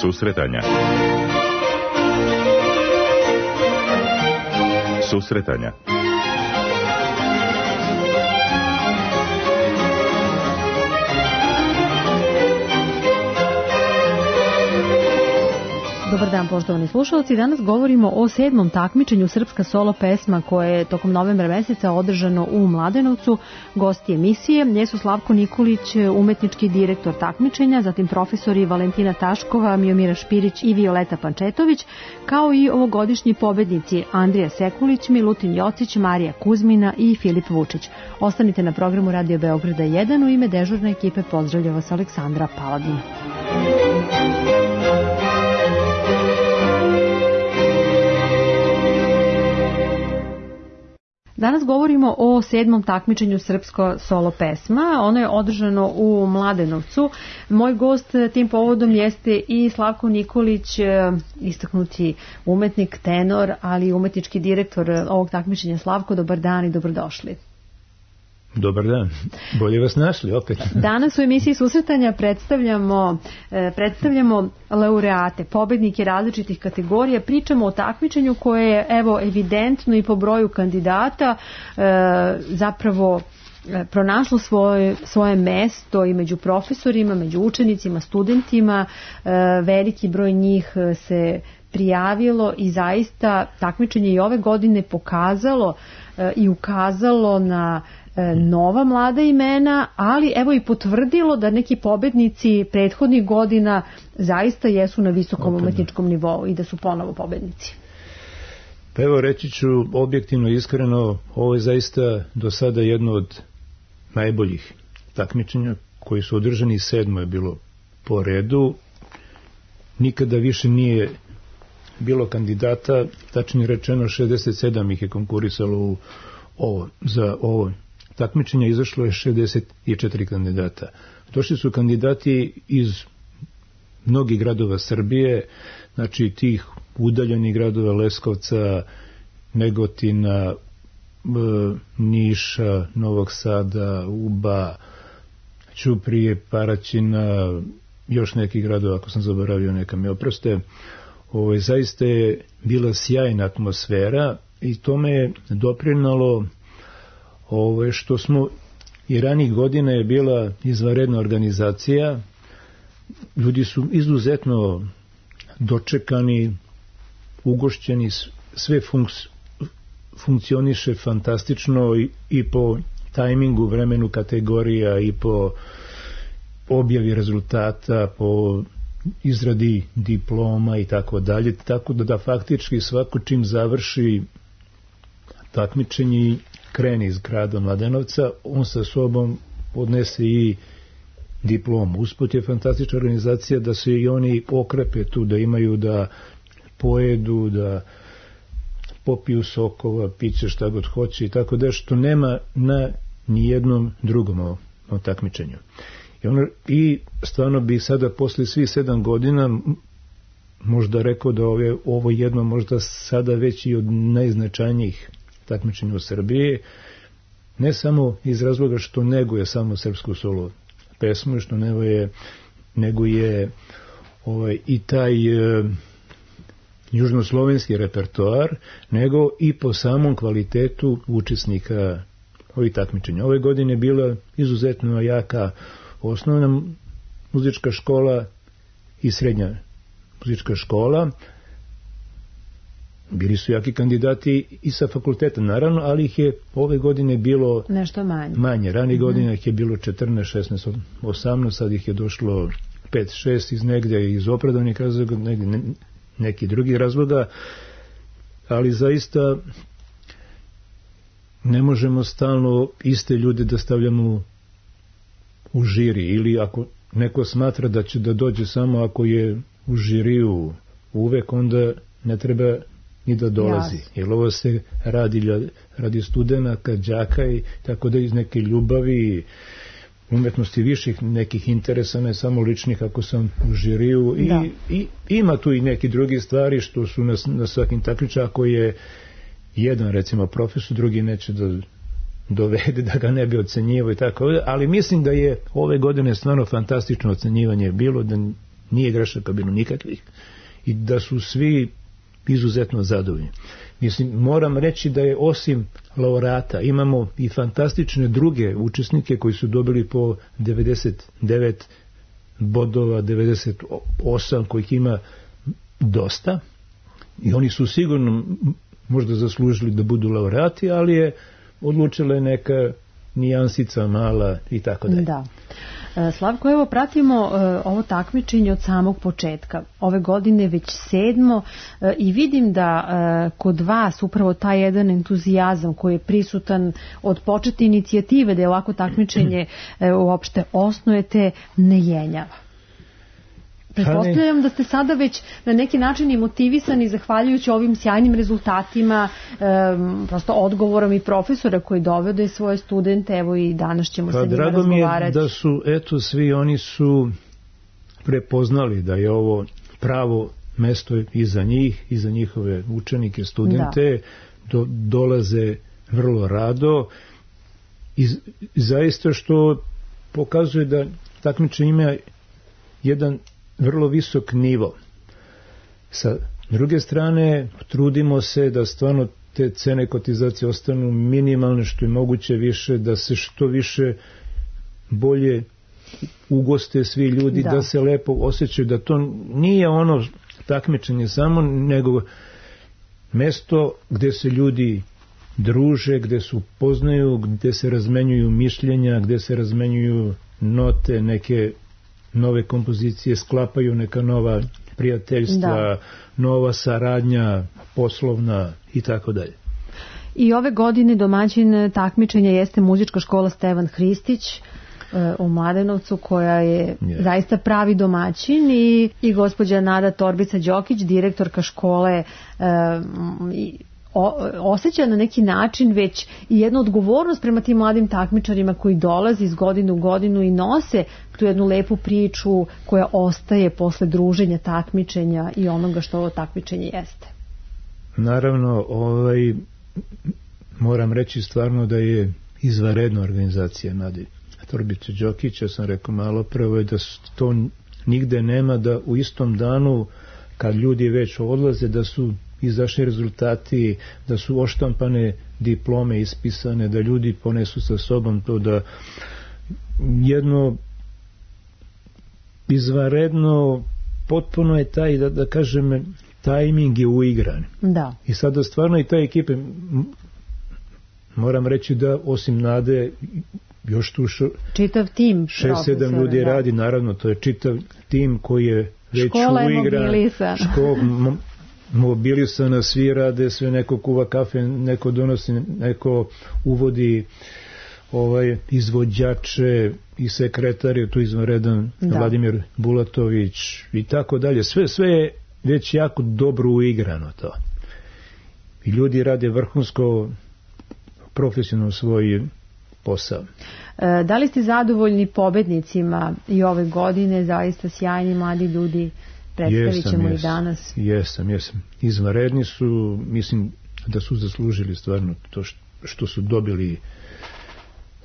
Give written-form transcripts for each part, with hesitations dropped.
Susretanja. Susretanja. Dobar dan, poštovani slušalci. Danas govorimo o 7. takmičenju Srpska solo pesma koje je tokom novembra meseca održano u Mladenovcu. Gosti emisije jesu Slavko Nikolić, umetnički direktor takmičenja, zatim profesori Valentina Taškova, Miomira Špirić i Violeta Pančetović, kao i ovogodišnji pobednici Andrija Sekulić, Milutin Jocić, Marija Kuzmina i Filip Vučić. Ostanite na programu Radio Beograda 1. U ime dežurne ekipe pozdravlja vas Aleksandra Paladin. Danas govorimo o 7. takmičenju Srpsko solo pesma. Ono je održano u Mladenovcu. Moj gost tim povodom jeste i Slavko Nikolić, istaknuti umetnik, tenor, ali i umetnički direktor ovog takmičenja. Slavko, dobar dan i dobrodošli. Dobar dan, bolje vas našli opet. Danas u emisiji Susretanja predstavljamo laureate, pobednike različitih kategorija, pričamo o takmičenju koje je evo evidentno i po broju kandidata zapravo pronašlo svoje mesto i među profesorima, među učenicima, studentima. Veliki broj njih se prijavilo i zaista takmičenje i ove godine pokazalo i ukazalo na nova mlada imena, ali evo i potvrdilo da neki pobednici prethodnih godina zaista jesu na visokom umetničkom nivou i da su ponovo pobednici. Pa evo reći ću objektivno i iskreno, ovo je zaista do sada jedno od najboljih takmičenja koji su održani, 7. je bilo po redu. Nikada više nije bilo kandidata, tačnije rečeno 67 ih je konkurisalo za ovo takmičenje, izašlo je 64 kandidata. Došli su kandidati iz mnogih gradova Srbije, znači tih udaljenih gradova Leskovca, Negotina, Niša, Novog Sada, Uba, Ćuprije, Paraćina, još nekih gradova, ako sam zaboravio neka mi oproste. Zaista je bila sjajna atmosfera i tome je doprinalo što smo i ranih godina je bila izvanredna organizacija. Ljudi su izuzetno dočekani, ugošćeni, sve funkcioniše fantastično i po tajmingu, vremenu kategorija i po objavi rezultata, po izradi diploma i tako dalje, tako da faktički svako čim završi takmičenje krene iz grada Mladenovca, on sa sobom odnese i diplomu. Usput je fantastična organizacija da se i oni okrepe tu, da imaju da pojedu, da popiju sokova, piće šta god hoće i tako da, što nema na nijednom drugom takmičenju. I stvarno bi sada posle svih 7 godina možda rekao da ovo jedno možda sada već i od najznačajnijih takmičenja u Srbiji, ne samo iz razloga što neguje samo srpsku solo pesmu, što neguje i taj južnoslovenski repertoar, nego i po samom kvalitetu učesnika ovih takmičenja. Ove godine je bila izuzetno jaka osnovna muzička škola i srednja muzička škola. Bili su jaki kandidati i sa fakulteta, naravno, ali ih je ove godine bilo nešto manje. Ranih godina ih je bilo 14, 16, 18, sad ih je došlo 5, 6 iz negde, iz opravdanih razloga, neki drugih razloga, ali zaista ne možemo stalno iste ljude da stavljamo u žiri, ili ako neko smatra da će da dođe samo ako je u žiriju uvek, onda ne treba ni da dolazi. Jer ovo se radi studenata, đaka i tako da iz neke ljubavi, umetnosti viših nekih interesa, ne samo ličnih ako sam u žiriju. I ima tu i neki drugi stvari što su na svakim takmičenjima, ako je jedan recimo profesor, drugi neće da dovede da ga ne bi ocenjivao i tako, ali mislim da je ove godine stvarno fantastično ocenjivanje bilo, da nije grešaka bilo nikakvih i da su svi izuzetno zadovoljni. Mislim, moram reći da je osim laureata imamo i fantastične druge učesnike koji su dobili po 99 bodova, 98 kojih ima dosta i oni su sigurno možda zaslužili da budu laureati, ali je odlučila neka nijansica mala i tako dalje. Da. Slavko, evo pratimo ovo takmičenje od samog početka. Ove godine već 7. I vidim da kod vas upravo taj jedan entuzijazam koji je prisutan od početne inicijative da je ovako takmičenje uopšte osnujete ne jenjava. Pretpostavljam da ste sada već na neki način i motivisani zahvaljujući ovim sjajnim rezultatima, prosto odgovorom i profesora koji dovode svoje studente, evo i danas ćemo sa njima razgovarati. Drago mi je da su, eto, svi oni su prepoznali da je ovo pravo mesto i za njih, i za njihove učenike, studente, dolaze vrlo rado i zaista što pokazuje da takmičenje ima jedan vrlo visok nivo. Sa druge strane, trudimo se da stvarno te cene kotizacije ostanu minimalne, što je moguće više, da se što više bolje ugoste svi ljudi, da se lepo osjećaju, da to nije ono takmičenje samo, nego mesto gde se ljudi druže, gde se upoznaju, gde se razmenjuju mišljenja, gde se razmenjuju note, neke nove kompozicije, sklapaju neka nova prijateljstva, nova saradnja, poslovna i tako dalje. I ove godine domaćin takmičenja jeste muzička škola Stevan Hristić u Mladenovcu, koja je zaista pravi domaćin, i gospođa Nada Torbica-Đokić, direktorka škole, osjeća na neki način već i jednu odgovornost prema tim mladim takmičarima koji dolaze iz godine u godinu i nose tu jednu lepu priču koja ostaje posle druženja, takmičenja i onoga što ovo takmičenje jeste. Naravno, moram reći stvarno da je izvanredna organizacija Nadi Torbice-Đokić. Ja sam rekao malo prvo je da to nigde nema, da u istom danu kad ljudi već odlaze da su izašli rezultati, da su oštampane diplome ispisane, da ljudi ponesu sa sobom to, da jedno izvanredno potpuno je taj, da kažem, tajming je uigran. Da. I sada stvarno i ta ekipe, moram reći da osim Nade još tu čitav tim 6-7 ljudi radi, naravno to je čitav tim koji je već škola uigran. Mobilisana, svi rade, sve, neko kuva kafe, neko donosi, neko uvodi izvođače i sekretar je tu izvanredan, Vladimir Bulatović i tako dalje. Sve je već jako dobro uigrano to. I ljudi rade vrhunsko, profesionalno svoj posao. Da li ste zadovoljni pobednicima i ove godine, zaista sjajni mladi ljudi? Predstavit ćemo i danas. Jesam. Izvanredni su, mislim da su zaslužili stvarno to što su dobili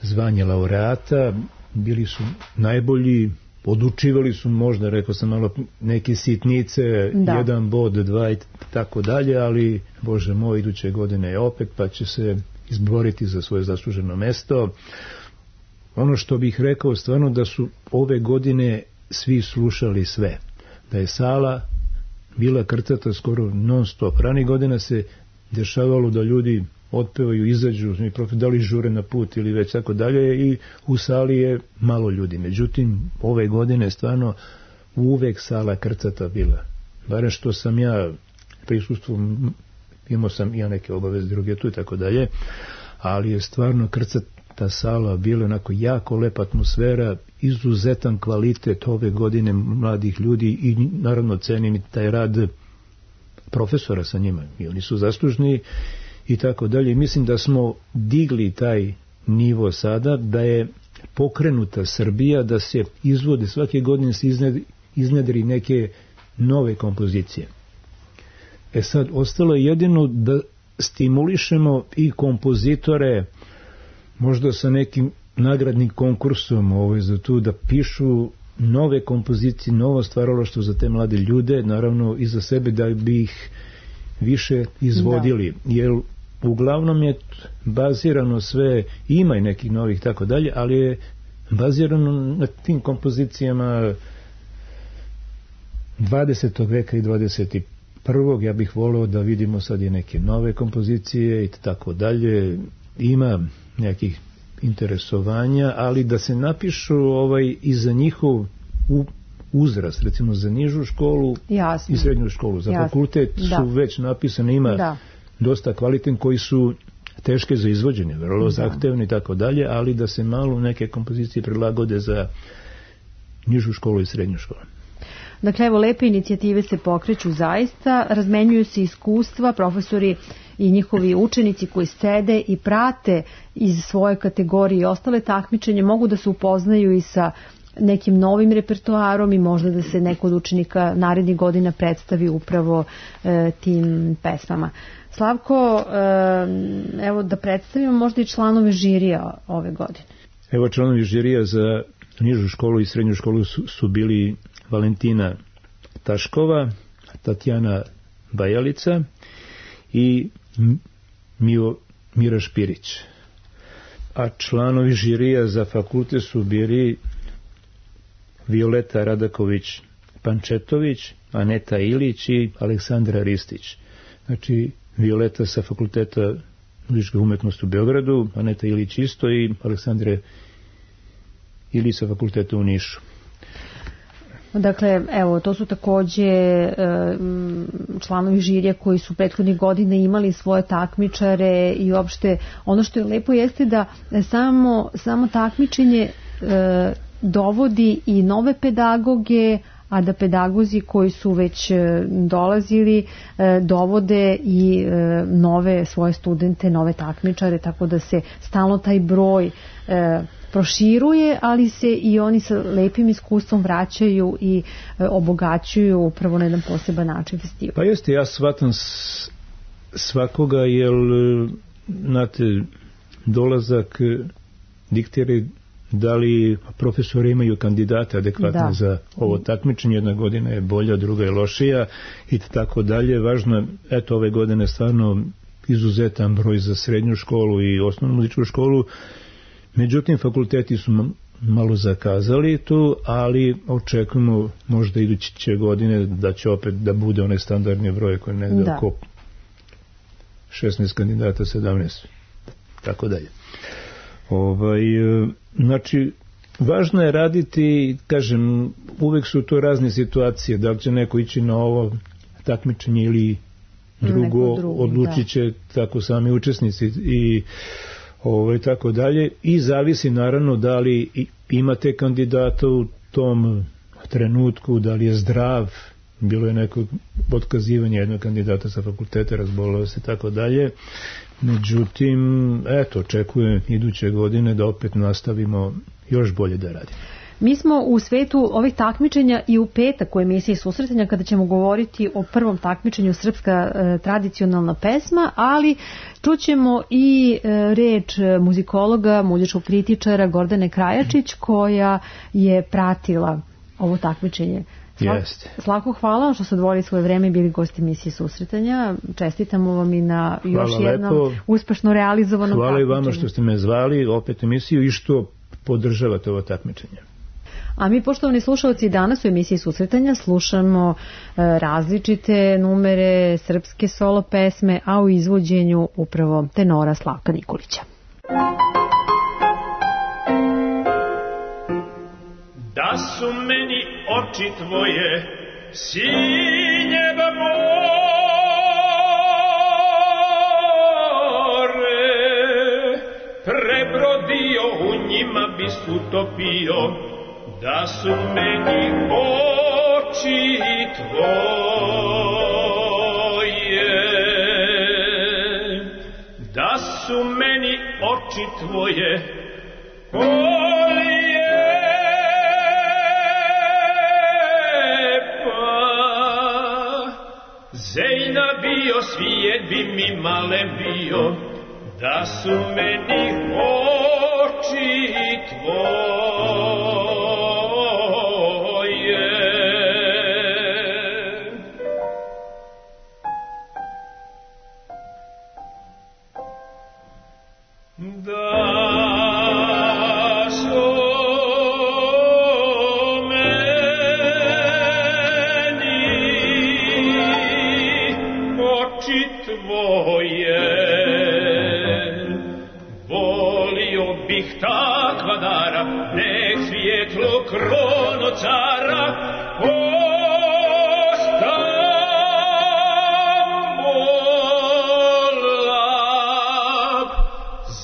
zvanje laureata, bili su najbolji, odučivali su možda, rekao sam malo, neke sitnice, 1 bod, 2 i tako dalje, ali Bože moj, iduće godine je opet, pa će se izboriti za svoje zasluženo mesto. Ono što bih rekao stvarno da su ove godine svi slušali sve. Da je sala bila krcata skoro non stop. Ranih godina se dešavalo da ljudi otpevaju, izađu, da li žure na put ili već tako dalje, i u sali je malo ljudi. Međutim, ove godine stvarno uvek sala krcata bila. Barem što sam ja prisustvom, imao sam i neke obaveze druge tu i tako dalje, ali je stvarno krcata sala bila onako jako lepa atmosfera, izuzetan kvalitet ove godine mladih ljudi i naravno cenim i taj rad profesora sa njima i oni su zaslužni i tako dalje. Mislim da smo digli taj nivo sada, da je pokrenuta Srbija, da se izvode svake godine, se iznedri neke nove kompozicije. Sad ostalo je jedino da stimulišemo i kompozitore možda sa nekim nagradnim konkursom za to, da pišu nove kompozicije, novo stvaralaštvo za te mlade ljude, naravno i za sebe, da bi ih više izvodili, jer uglavnom je bazirano sve, ima i nekih novih tako dalje, ali je bazirano na tim kompozicijama 20. veka i 21. Ja bih voleo da vidimo sad i neke nove kompozicije i tako dalje. Ima nekih interesovanja, ali da se napišu i za njihov uzrast, recimo za nižu školu i srednju školu. Za fakultet su već napisane, ima dosta kvalitetnih koji su teške za izvođenje, vrlo zahtevni i tako dalje, ali da se malo neke kompozicije prilagode za nižu školu i srednju školu. Dakle, evo, lepe inicijative se pokreću zaista, razmenjuju se iskustva, profesori i njihovi učenici koji sede i prate iz svoje kategorije i ostale takmičenje, mogu da se upoznaju i sa nekim novim repertoarom i možda da se neko od učenika narednih godina predstavi upravo tim pesmama. Slavko, evo da predstavimo možda i članove žirija ove godine. Evo, članovi žirija za nižu školu i srednju školu su bili Valentina Taškova, Tatjana Bajalica i Mira Špirić. A članovi žirija za fakultet su bili Violeta Radaković-Pančetović, Aneta Ilić i Aleksandra Ristić. Znači, Violeta sa Fakulteta muzičke umetnosti u Beogradu, Aneta Ilić isto i Aleksandra Ilić sa Fakulteta u Nišu. Dakle, evo, to su takođe članovi žirija koji su prethodnih godina imali svoje takmičare i uopšte ono što je lepo jeste da samo takmičenje dovodi i nove pedagoge, a da pedagozi koji su već dolazili dovode i nove svoje studente, nove takmičare, tako da se stalno taj broj proširuje, ali se i oni sa lepim iskustvom vraćaju i obogaćuju upravo na jedan poseban način festival. Pa jeste, ja shvatam svakoga, jer znate, dolazak diktira da li profesori imaju kandidate adekvatne za ovo takmičenje, jedna godina je bolja, druga je lošija i tako dalje. Važno je, eto, ove godine stvarno izuzetan broj za srednju školu i osnovnu muzičku školu. Međutim, fakulteti su malo zakazali tu, ali očekujemo možda iduće godine da će opet da bude onaj standardni broj koji je negde oko 16 kandidata, 17, tako dalje. Znači, važno je raditi, kažem, uvek su to razne situacije, da li će neko ići na ovo takmičenje ili drugo, odlučit će tako sami učesnici i tako dalje, i zavisi naravno da li imate kandidata u tom trenutku, da li je zdrav, bilo je neko otkazivanje jednog kandidata sa fakulteta, razbolao se, tako dalje. Međutim, eto, očekujem iduće godine da opet nastavimo još bolje da radimo. Mi smo u svetu ovih takmičenja i u petak u emisiji Susretanja, kada ćemo govoriti o prvom takmičenju Srpska tradicionalna pesma, ali čućemo i reč muzikologa, muzičkog kritičara Gordane Krajačić, koja je pratila ovo takmičenje. Slavko, hvala što ste odvojili svoje vreme i bili gosti emisije Susretanja. Čestitamo vam i na još jednom uspešno realizovanom takmičenju. Hvala i vama što ste me zvali opet emisiju i što podržavate ovo takmičenje. A mi, poštovani slušalci, danas u emisiji Susretanja slušamo različite numere srpske solo pesme, a u izvođenju upravo tenora Slavka Nikolića. Da su meni oči tvoje sinjeva more, prebrodio u njima bist utopio. Da su meni oči tvoje, da su meni oči tvoje, Zejna bio, svijet bi mi male bio, da su meni oči tvoje. svjetlo krono cara,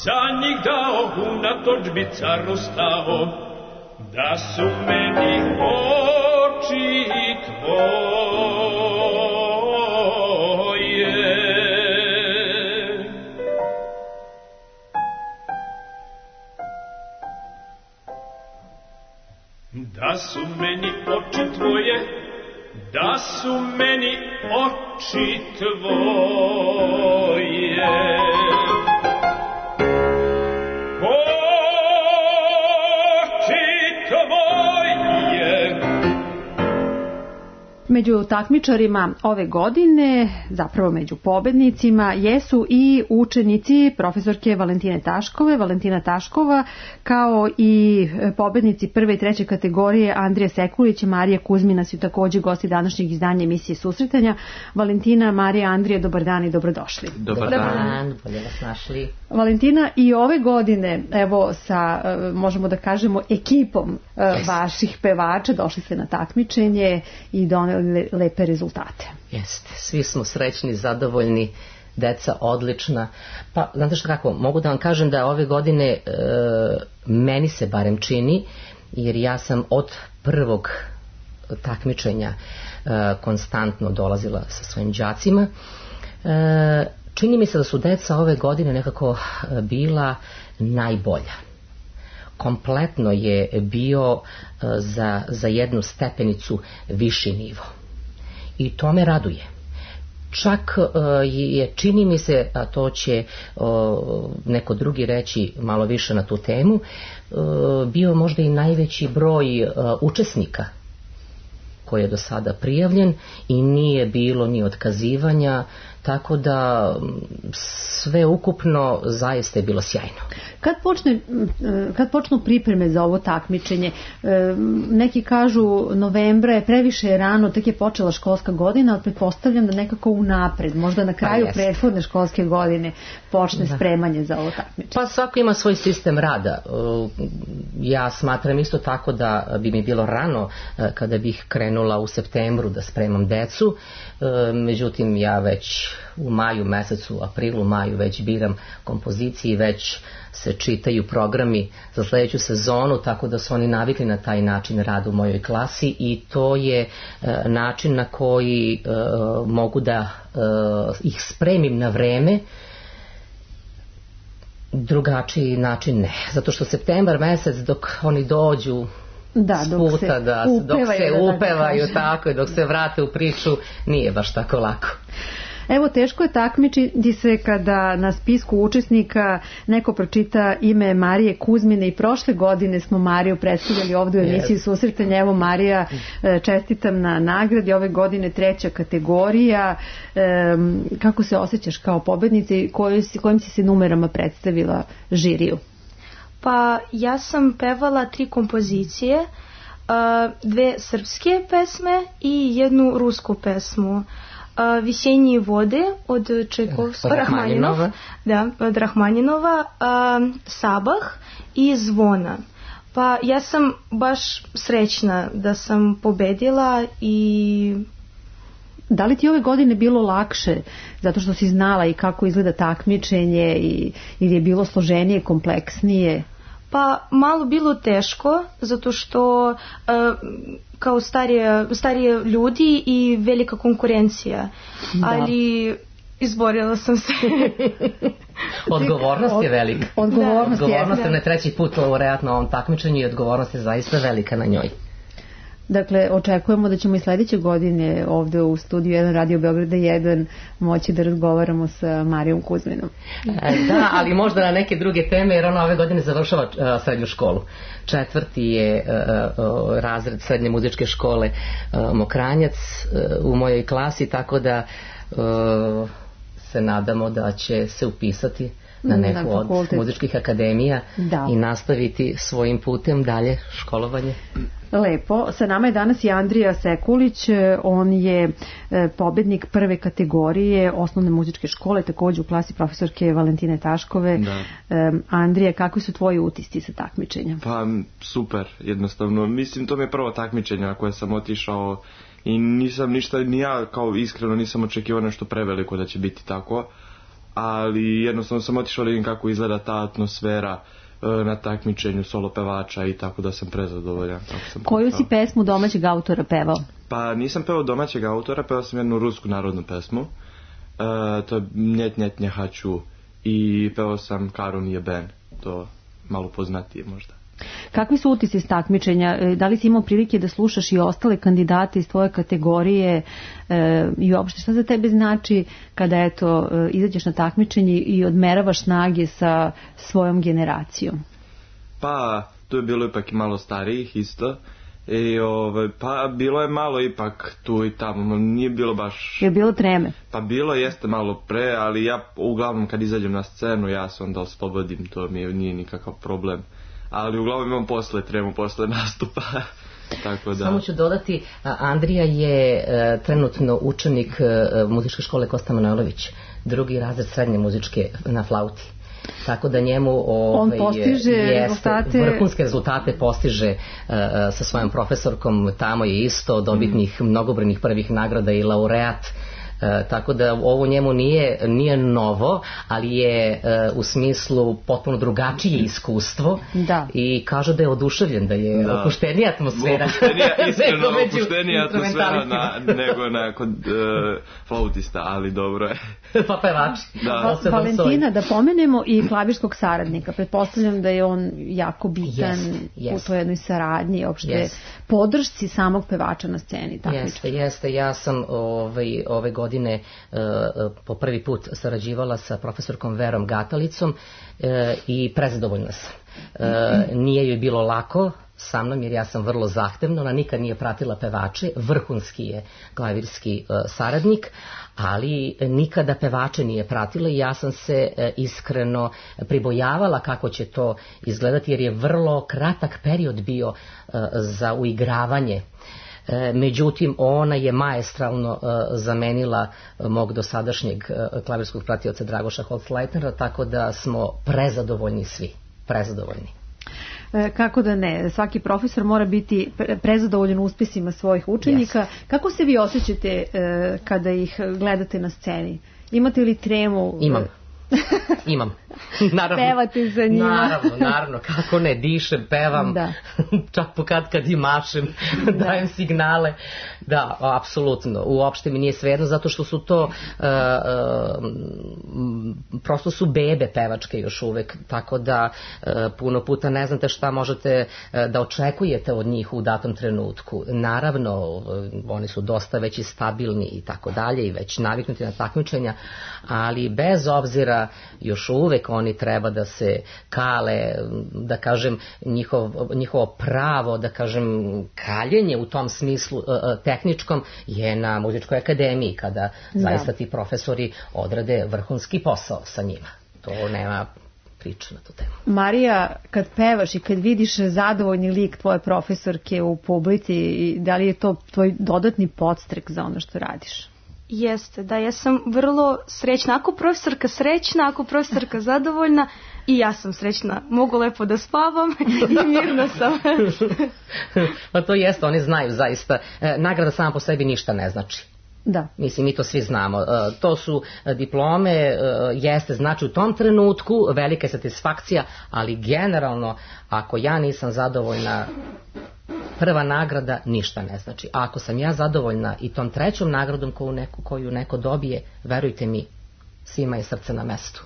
za njih dao unatoč bi car ostao, da su meni oči tvoje. Da su meni oči tvoje, da su meni oči tvoje. Među takmičarima ove godine, zapravo među pobednicima, jesu i učenici profesorke Valentine Taškove, Valentina Taškova, kao i pobednici prve i treće kategorije Andrija Sekulić i Marija Kuzmina su također gosti današnjeg izdanja emisije Susretanja. Valentina, Marija, Andrija, dobar dan i dobrodošli. Dobar dan, bolje vas našli. Valentina, i ove godine, evo sa, možemo da kažemo, ekipom vaših pevača došli ste na takmičenje i doneli lepe rezultate. Jeste, svi smo srećni, zadovoljni, deca odlična. Pa, znate što kako, mogu da vam kažem da ove godine meni se barem čini, jer ja sam od prvog takmičenja konstantno dolazila sa svojim đacima, čini mi se da su deca ove godine nekako bila najbolja. Kompletno je bio za jednu stepenicu viši nivo. I to me raduje. Čak je, čini mi se, a to će neko drugi reći malo više na tu temu, bio možda i najveći broj učesnika koji je do sada prijavljen i nije bilo ni otkazivanja, tako da sve ukupno zaista je bilo sjajno. Kad počnu pripreme za ovo takmičenje? Neki kažu novembra je previše rano, tek je počela školska godina, ali pretpostavljam da nekako unapred, možda na kraju prethodne školske godine počne spremanje za ovo takmičenje. Pa svako ima svoj sistem rada. Ja smatram isto tako da bi mi bilo rano kada bih krenula u septembru da spremam decu, međutim ja već u maju mesecu, aprilu, maju već biram kompozicije, već se čitaju programi za sljedeću sezonu, tako da su oni navikli na taj način rada u mojoj klasi i to je način na koji mogu da ih spremim na vreme. Drugačiji način ne, zato što septembar mesec dok oni dođu dok se upevaju tako i dok se vrate u priču nije baš tako lako. Evo, teško je takmičiti se kada na spisku učesnika neko pročita ime Marije Kuzmine i prošle godine smo Mariju predstavljali ovdje u emisiji Susretanja. Evo, Marija, čestitam na nagradi, ove godine treća kategorija. Kako se osjećaš kao pobednica i kojim si se numerama predstavila žiriju? Pa ja sam pevala 3 kompozicije, 2 srpske pesme i 1 rusku pesmu. Vjesenje vode od Rahmaninova, Sabah i Zvona. Pa ja sam baš srećna da sam pobedila i... Da li ti ove godine bilo lakše zato što si znala i kako izgleda takmičenje ili je bilo složenije, kompleksnije? Pa malo bilo teško zato što kao starije ljudi i velika konkurencija, ali izborila sam se. Odgovornost je velika. Odgovornost je na treći put vjerojatno ovom takmičenju i odgovornost je zaista velika na njoj. Dakle, očekujemo da ćemo i sljedeće godine ovdje u studiju 1 Radio Beograda 1 moći da razgovaramo sa Marijom Kuzminom. Da, ali možda na neke druge teme, jer ona ove godine završava srednju školu. 4. je razred srednje muzičke škole Mokranjac u mojoj klasi, tako da se nadamo da će se upisati na neku od muzičkih akademija i nastaviti svojim putem dalje školovanje. Lepo. Sa nama je danas i Andrija Sekulić. On je pobednik prve kategorije osnovne muzičke škole, takođe u klasi profesorke Valentine Taškove. Da. Andrija, kakvi su tvoji utisci sa takmičenja? Pa super, jednostavno. Mislim, to mi je prvo takmičenje na koje sam otišao i nisam ništa, ni ja kao iskreno nisam očekivao nešto preveliko da će biti tako, ali jednostavno sam otišao da vidim kako izgleda ta atmosfera na takmičenju solo pevača i tako da sam prezadovoljan. Koju si pesmu domaćeg autora pevao? Pa nisam pevao domaćeg autora, pevao sam jednu rusku narodnu pesmu. To je Njet njet njehaću i pevao sam Karun jeben, to malo poznatije možda. Kakvi su utisci s takmičenja? Da li si imao prilike da slušaš i ostale kandidate iz tvoje kategorije i uopšte šta za tebe znači kada izađeš na takmičenje i odmeravaš snage sa svojom generacijom? Pa tu je bilo ipak i malo starijih isto. Pa bilo je malo ipak tu i tamo, nije bilo baš... Je bilo treme? Pa bilo jeste malo pre, ali ja uglavnom kad izađem na scenu ja se onda oslobodim, to mi nije nikakav problem. Ali uglavnom imam tremu posle nastupa. Tako da. Samo ću dodati, Andrija je trenutno učenik muzičke škole Kosta Manojlović, 2. razred srednje muzičke na flauti. Tako da njemu on postiže vrhunske rezultate postiže sa svojom profesorkom, tamo je isto dobitnih mnogobrojnih prvih nagrada i laureat. Tako da ovo njemu nije novo, ali je u smislu potpuno drugačije iskustvo. Da. I kaže da je oduševljen, da je opuštenija atmosfera. Iskreno opuštenija atmosfera nego kod flautista, ali dobro je. Pa pevači. Valentina, da pomenemo i klavirskog saradnika. Pretpostavljam da je on jako bitan u toj jednoj saradnji, uopšte podršci samog pevača na sceni. Jeste. Ja sam ove godine po prvi put sarađivala sa profesorkom Verom Gatalicom i prezadovoljna sam. Nije joj bilo lako sa mnom jer ja sam vrlo zahtevna, ona nikad nije pratila pevače, vrhunski je klavirski saradnik, ali nikada pevače nije pratila i ja sam se iskreno pribojavala kako će to izgledati jer je vrlo kratak period bio za uigravanje. Međutim, ona je maestralno zamenila mog dosadašnjeg klavirskog pratioca Dragoša Holzleitnera, tako da smo prezadovoljni svi. Prezadovoljni. Kako da ne, svaki profesor mora biti prezadovoljan uspjesima svojih učenika. Kako se vi osjećate kada ih gledate na sceni? Imate li tremu? Imam. Naravno. Pevate za njima. Naravno, kako ne, dišem, pevam, čak kad i mašem, dajem signale. Da, apsolutno, uopšte mi nije svejedno, zato što su to prosto su bebe pevačke još uvek, tako da puno puta ne znate šta možete da očekujete od njih u datom trenutku. Naravno, oni su dosta već i stabilni i tako dalje i već naviknuti na takmičenja, ali bez obzira još uvek oni treba da se kale, da kažem, njihovo pravo, da kažem, kaljenje u tom smislu tehničkom je na muzičkoj akademiji, kada zaista ti profesori odrade vrhunski posao sa njima. To nema priče na tu temu. Marija, kad pevaš i kad vidiš zadovoljni lik tvoje profesorke u publici, da li je to tvoj dodatni podstrek za ono što radiš? Jeste, da, ja sam vrlo srećna. Ako profesorka srećna, ako profesorka zadovoljna, i ja sam srećna. Mogu lepo da spavam i mirno sam. Pa to jeste, oni znaju zaista. Nagrada sama po sebi ništa ne znači. Da. Mislim, mi to svi znamo. To su diplome, jeste, znači u tom trenutku velika satisfakcija, ali generalno, ako ja nisam zadovoljna, prva nagrada ništa ne znači. A ako sam ja zadovoljna i tom trećom nagradom koju neko dobije, verujte mi, svima je srce na mestu.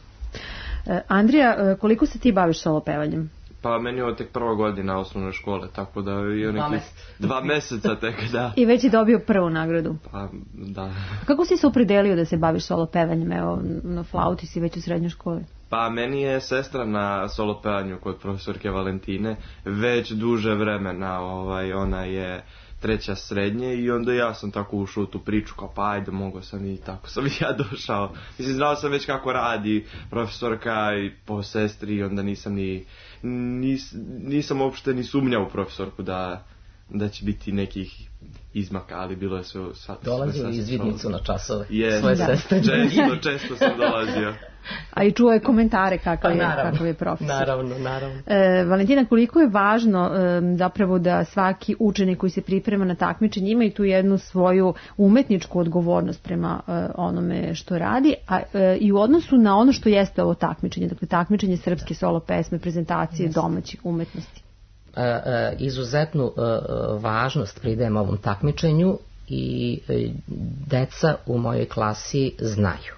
Andrija, koliko se ti baviš solo pevanjem? Pa meni je ovo tek prva godina osnovne škole, tako da je nekih 2 meseca tek, da. I već je dobio prvu nagradu. Pa, da. Kako si se opredelio da se baviš solo pevanjem? Evo, na flauti si već u srednjoj školi. Pa meni je sestra na solo pevanju kod profesorke Valentine već duže vremena, ona je 3. srednje i onda ja sam tako ušao u tu priču kao pa ajde mogao sam i tako sam i ja došao. Mislim, znao sam već kako radi profesorka i po sestri i onda nisam uopšte ni sumnjao u profesorku da će biti nekih izmaka, ali bilo je sve... Dolazio izvidnicu na časove svoje sestre. Često sam dolazio. A i čuo je komentare kakav je profesor. Naravno. Valentina, koliko je važno zapravo da svaki učenik koji se priprema na takmičenje ima i tu jednu svoju umetničku odgovornost prema onome što radi, a i u odnosu na ono što jeste ovo takmičenje, dakle takmičenje srpske solo pesme, prezentacije domaćih umetnosti. Izuzetnu važnost pridajem ovom takmičenju i deca u mojoj klasi znaju.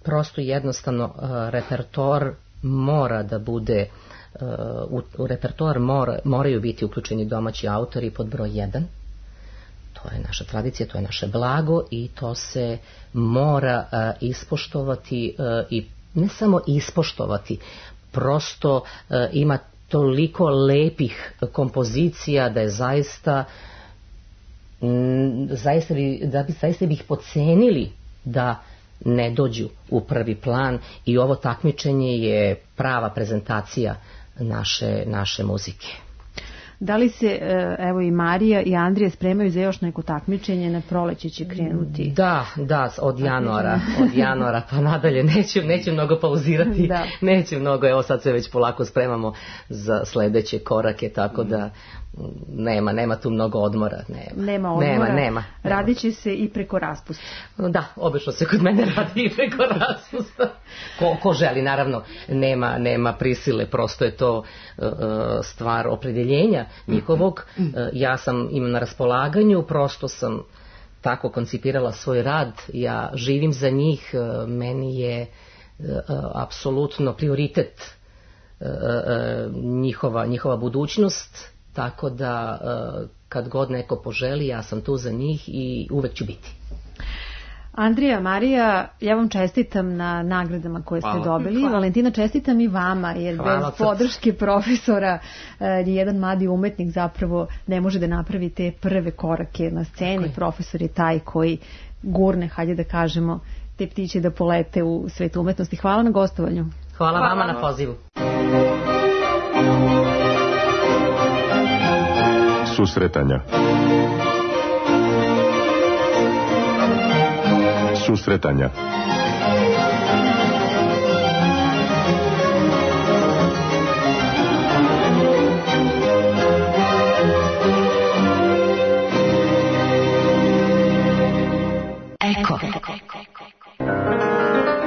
Prosto jednostavno repertoar mora da bude, u repertoar moraju biti uključeni domaći autori pod broj 1. To je naša tradicija, to je naše blago i to se mora ispoštovati i ne samo ispoštovati, prosto ima toliko lepih kompozicija da je zaista bi ih podcenili da ne dođu u prvi plan i ovo takmičenje je prava prezentacija naše muzike. Da li se, evo i Marija i Andrija spremaju za još neko takmičenje, na proleće će krenuti? Da, od januara pa nadalje, neću mnogo pauzirati, neću mnogo, evo sad se već polako spremamo za sledeće korake, tako da nema tu mnogo odmora. Nema odmora, radit će se i preko raspusta. Da, obično se kod mene radi i preko raspusta. Ko želi, naravno, nema prisile, prosto je to stvar opredjeljenja njihovog. Ja imam na raspolaganju, prosto sam tako koncipirala svoj rad, ja živim za njih, meni je apsolutno prioritet njihova budućnost, tako da kad god neko poželi, ja sam tu za njih i uvek ću biti. Andrija, Marija, ja vam čestitam na nagradama koje ste dobili. Valentina, čestitam i vama, jer bez podrške profesora jedan mladi umetnik zapravo ne može da napravi te prve korake na sceni. Profesor je taj koji gurne, hajde da kažemo, te ptiće da polete u svet umetnosti. Hvala na gostovanju. Hvala vama na pozivu. Susretanja. Eko.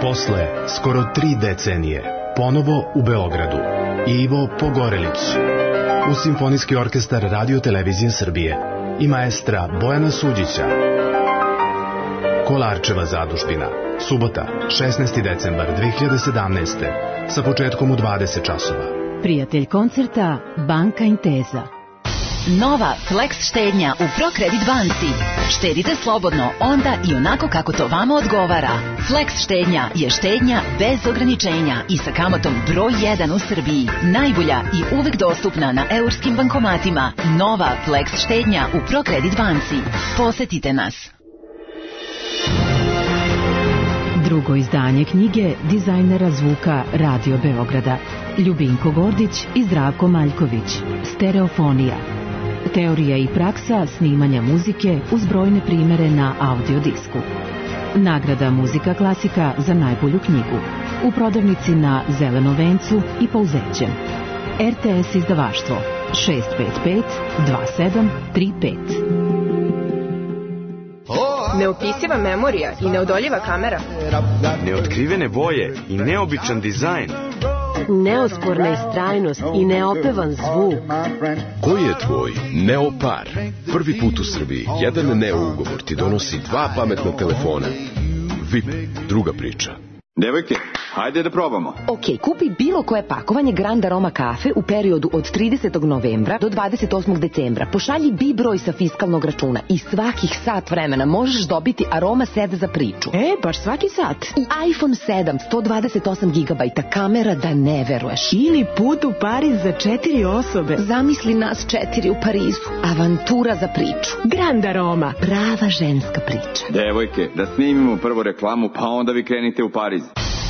Posle skoro 3 decenije, ponovo u Beogradu, Ivo Pogorelić, uz Simfonijski orkestar Radio Televizije Srbije i maestra Bojana Suđića. Kolarčeva zadužbina, subota, 16. decembar 2017. sa početkom u 20 časova. Prijatelj koncerta Banka Intesa. Nova Flex štednja u ProCredit banci. Štedite slobodno onda i onako kako to vama odgovara. Flex štednja je štednja bez ograničenja i sa kamatom broj 1 u Srbiji. Najbolja i uvek dostupna na eurskim bankomatima. Nova Flex štednja u ProCredit banci. Posetite nas. Drugo izdanje knjige dizajnera zvuka Radio Beograda Ljubinko Gordić i Zdravko Maljković. Stereofonija. Teorija i praksa snimanja muzike uz brojne primere na audiodisku. Nagrada Muzika klasika za najbolju knjigu. U prodavnici na Zelenom vencu i Pouzećem. RTS izdavaštvo 655 2735. Neopisiva memorija i neodoljiva kamera. Neotkrivene boje i neobičan dizajn. Neosporna istrajnost i neopevan zvuk. Koji je tvoj Neopar? Prvi put u Srbiji jedan Neo ugovor ti donosi 2 pametna telefona. VIP, druga priča. Devojke, hajde da probamo. Ok, kupi bilo koje pakovanje Grand Aroma kafe u periodu od 30. novembra do 28. decembra. Pošalji B broj sa fiskalnog računa i svakih sat vremena možeš dobiti Aroma set za priču. Baš svaki sat. I iPhone 7, 128 GB, kamera da ne veruješ. Ili put u Pariz za 4 osobe. Zamisli nas 4 u Parizu. Avantura za priču. Grand Aroma. Prava ženska priča. Devojke, da snimimo prvo reklamu, pa onda vi krenite u Pariz.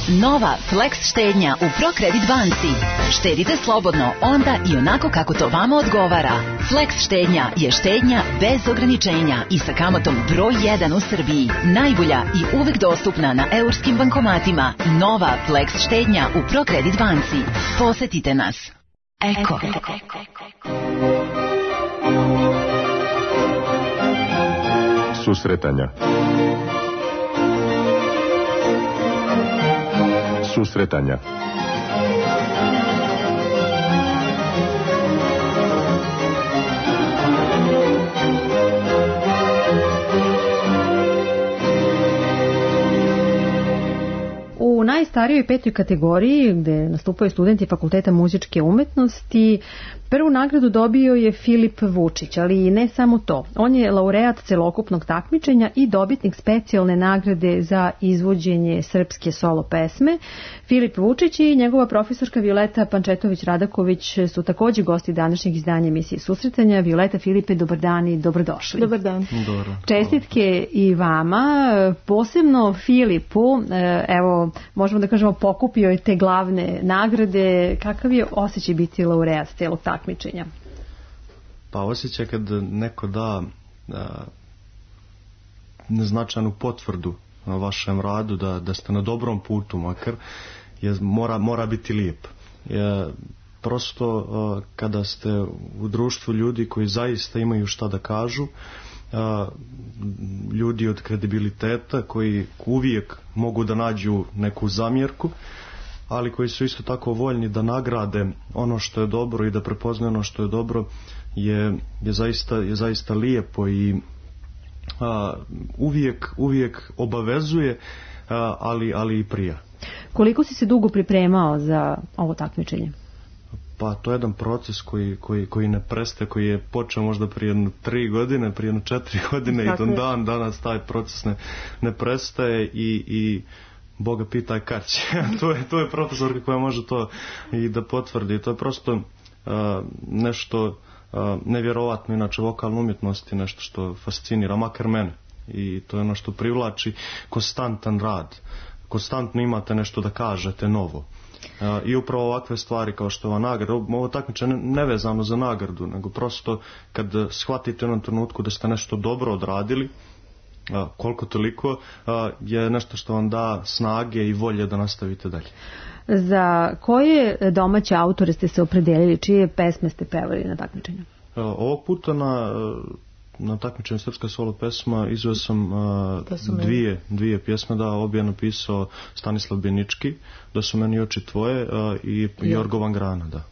Nova Flex štednja u ProCredit banci. Štedite slobodno onda i onako kako to vama odgovara. Flex štednja je štednja bez ograničenja i sa kamatom broj 1 u Srbiji. Najbolja i uvek dostupna na eurskim bankomatima. Nova Flex štednja u ProCredit banci. Posetite nas. Eko. Susretanja. Susretanja. U najstarijoj 5. kategoriji, gde nastupaju studenti Fakulteta muzičke umetnosti, prvu nagradu dobio je Filip Vučić, ali ne samo to. On je laureat celokupnog takmičenja i dobitnik specijalne nagrade za izvođenje srpske solo pesme. Filip Vučić i njegova profesorka Violeta Pančetović-Radaković su također gosti današnjeg izdanja emisije Susretanja. Violeta, Filipe, dobar dan i dobrodošli. Dobar dan. Dobro. Čestitke i vama, posebno Filipu, evo, možemo da kažemo, pokupio je te glavne nagrade. Kakav je osjećaj biti laureat celog takmičenja? Pa osjećaj kad neko da neznačajnu potvrdu na vašem radu, da ste na dobrom putu makar, mora biti lijep. Prosto kada ste u društvu ljudi koji zaista imaju šta da kažu, ljudi od kredibiliteta koji uvijek mogu da nađu neku zamjerku, ali koji su isto tako voljni da nagrade ono što je dobro i da prepoznaju ono što je dobro, je zaista lijepo i uvijek obavezuje, ali i prija. Koliko si se dugo pripremao za ovo takmičenje? Pa to je jedan proces koji ne prestaje, koji je počeo možda prije 3 godine, prije 4 godine i dan danas taj proces ne prestaje i Boga pitaj kad će. to je profesorka koja može to i da potvrdi. To je prosto nešto nevjerovatno, inače vokalna umjetnost je nešto što fascinira, makar mene. I to je ono što privlači konstantan rad. Konstantno imate nešto da kažete novo. I upravo ovakve stvari kao što je ova nagrada, ovo takmičenje nevezano za nagradu, nego prosto kad shvatite u jednom trenutku da ste nešto dobro odradili, koliko toliko, je nešto što vam da snage i volje da nastavite dalje. Za koje domaće autore ste se opredelili, čije pesme ste pevali na takmičenju? Ovog puta na takmičenju srpska solo pesma izveo sam dvije pjesme, obje je napisao Stanislav Benički, Da su meni oči tvoje, i Jorgo Van Grana, da.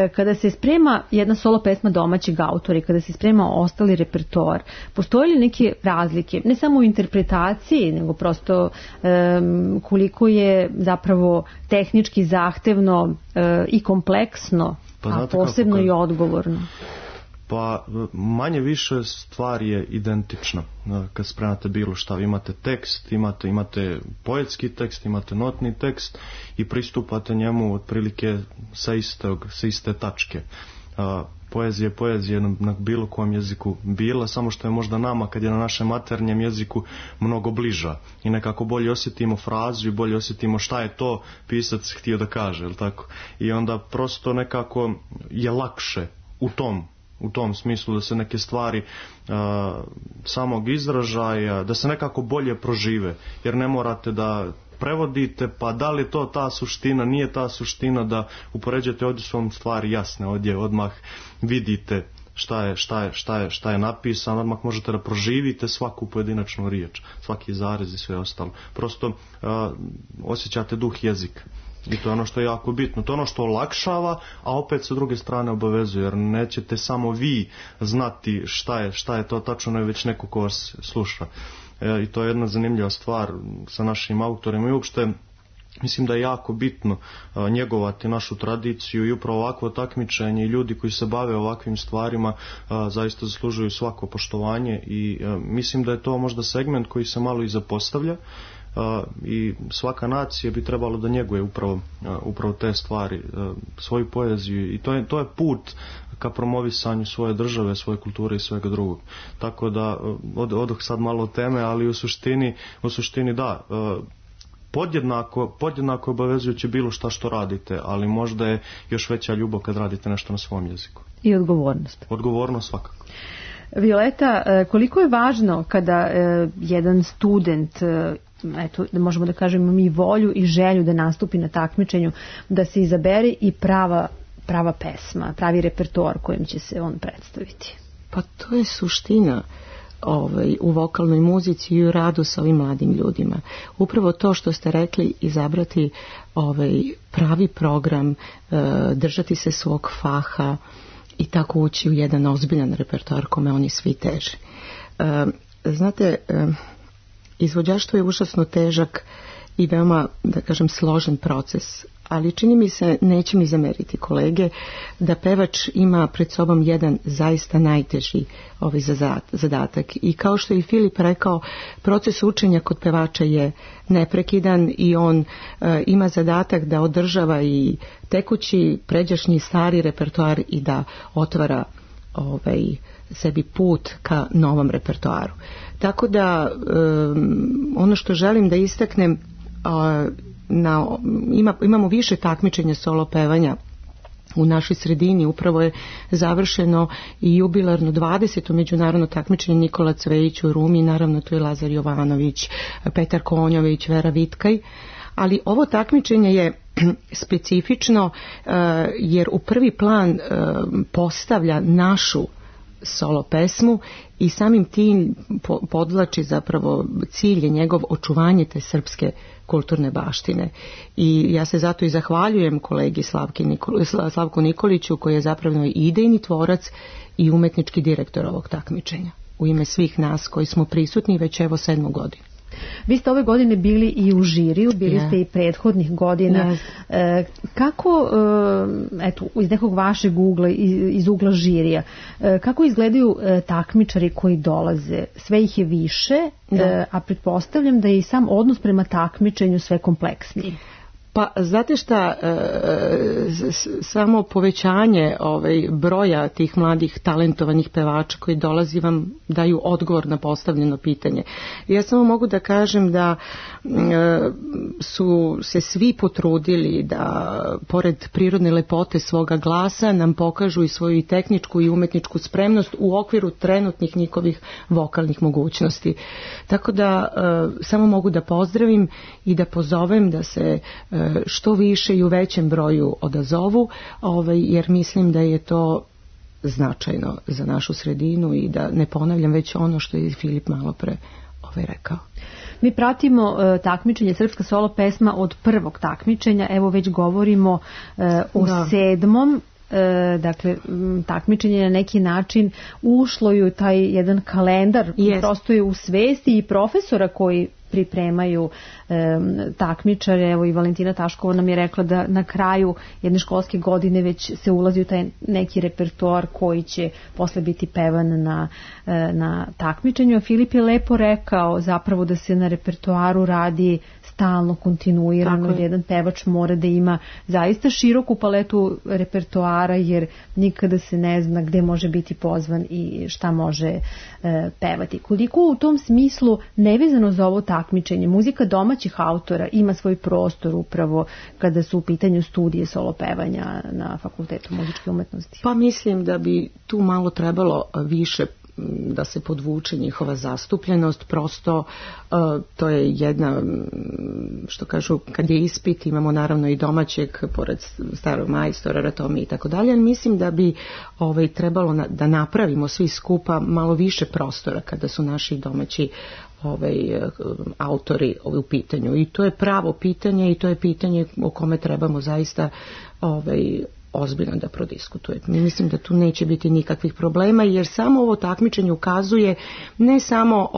Kada se sprema jedna solo pesma domaćeg autora i kada se sprema ostali repertoar, postoje li neke razlike, ne samo u interpretaciji, nego prosto koliko je zapravo tehnički zahtevno i kompleksno, a posebno i odgovorno? Pa manje više stvar je identična. Kad spremate bilo šta, imate tekst, imate poetski tekst, imate notni tekst i njemu otprilike sa iste tačke. Poezija na bilo kom jeziku bila, samo što je možda nama kad je na našem maternjem jeziku mnogo bliža i nekako bolje osjetimo frazu i bolje osjetimo šta je to pisac htio da kaže, jel tako? I onda prosto nekako je lakše u tom smislu da se neke stvari samog izražaja, da se nekako bolje prožive, jer ne morate da prevodite, pa da li to ta suština, nije ta suština, da upoređujete, ovdje su vam stvari jasne, ovdje odmah vidite šta je napisano, odmah možete da proživite svaku pojedinačnu riječ, svaki zarez i sve ostalo. Prosto osjećate duh jezika. I to je ono što je jako bitno, to je ono što olakšava, a opet sa druge strane obavezuje, jer nećete samo vi znati šta je to tačno, ne već neko ko vas sluša. I to je jedna zanimljiva stvar sa našim autorima i uopšte mislim da je jako bitno njegovati našu tradiciju i upravo ovakvo takmičenje i ljudi koji se bave ovakvim stvarima zaista zaslužuju svako poštovanje i mislim da je to možda segment koji se malo i zapostavlja. I svaka nacija bi trebalo da njeguje upravo te stvari, svoju poeziju, i to je put ka promovisanju svoje države, svoje kulture i svega drugog. Tako da odoh sad malo od teme, ali u suštini da, podjednako obavezujuće bilo šta što radite, ali možda je još veća ljubav kad radite nešto na svom jeziku. I odgovornost. Odgovornost svakako. Violeta, koliko je važno kada jedan student, eto, možemo da kažemo mi volju i želju da nastupi na takmičenju, da se izabere i prava pesma, pravi repertoar kojim će se on predstaviti? Pa to je suština u vokalnoj muzici i u radu sa ovim mladim ljudima. Upravo to što ste rekli, izabrati pravi program, držati se svog faha i tako ući u jedan ozbiljan repertoar kome oni svi teže. Znate, izvođaštvo je užasno težak i veoma, da kažem, složen proces, ali čini mi se, neće mi zameriti kolege, da pevač ima pred sobom jedan zaista najteži zadatak. I kao što je i Filip rekao, proces učenja kod pevača je neprekidan i on ima zadatak da održava i tekući, pređašnji, stari repertoar i da otvara sebi put ka novom repertoaru. Tako da ono što želim da istaknem, imamo više takmičenja solo pevanja u našoj sredini. Upravo je završeno i jubilarno 20. međunarodno takmičenje Nikola Cvejić u Rumi, naravno tu je Lazar Jovanović, Petar Konjović, Vera Vitkaj, ali ovo takmičenje je specifično jer u prvi plan postavlja našu solo pesmu i samim tim podvlači zapravo cilj je njegov očuvanje te srpske kulturne baštine. I ja se zato i zahvaljujem kolegi Slavku Nikoliću koji je zapravo i idejni tvorac i umetnički direktor ovog takmičenja. U ime svih nas koji smo prisutni već evo 7. godinu. Vi ste ove godine bili i u žiriju, bili ste i prethodnih godina. Kako, eto, iz nekog vašeg ugla, iz ugla žirija, kako izgledaju takmičari koji dolaze? Sve ih je više, a pretpostavljam da je i sam odnos prema takmičenju sve kompleksniji. Pa znate šta, samo povećanje broja tih mladih talentovanih pevača koji dolazi vam daju odgovor na postavljeno pitanje. Ja samo mogu da kažem da su se svi potrudili da pored prirodne lepote svoga glasa nam pokažu i svoju i tehničku i umetničku spremnost u okviru trenutnih njihovih vokalnih mogućnosti. Tako da samo mogu da pozdravim i da pozovem da se što više i u većem broju odazovu, jer mislim da je to značajno za našu sredinu i da ne ponavljam već ono što je Filip malo pre rekao. Mi pratimo takmičenje Srpska solo pesma od prvog takmičenja, evo već govorimo o 7. Dakle, takmičenje na neki način ušlo i u taj jedan kalendar, prosto je u svesti i profesora koji pripremaju takmičare. Evo i Valentina Taškova nam je rekla da na kraju jedne školske godine već se ulazi u taj neki repertoar koji će posle biti pevan na takmičenju. Filip je lepo rekao zapravo da se na repertoaru radi stalno, kontinuirano, jedan pevač mora da ima zaista široku paletu repertoara jer nikada se ne zna gde može biti pozvan i šta može pevati. Koliko u tom smislu, nevezano za ovo takmičenje, muzika domaćih autora ima svoj prostor upravo kada su u pitanju studije solo pevanja na Fakultetu muzičke umetnosti? Pa mislim da bi tu malo trebalo više da se podvuče njihova zastupljenost, prosto to je jedna, što kažu, kad je ispit, imamo naravno i domaćeg, pored starog majstora, Ratomi i tako dalje, ali mislim da bi trebalo da napravimo svi skupa malo više prostora kada su naši domaći autori u pitanju. I to je pravo pitanje i to je pitanje o kome trebamo zaista ozbiljno da prodiskutujemo. Mislim da tu neće biti nikakvih problema jer samo ovo takmičenje ukazuje ne samo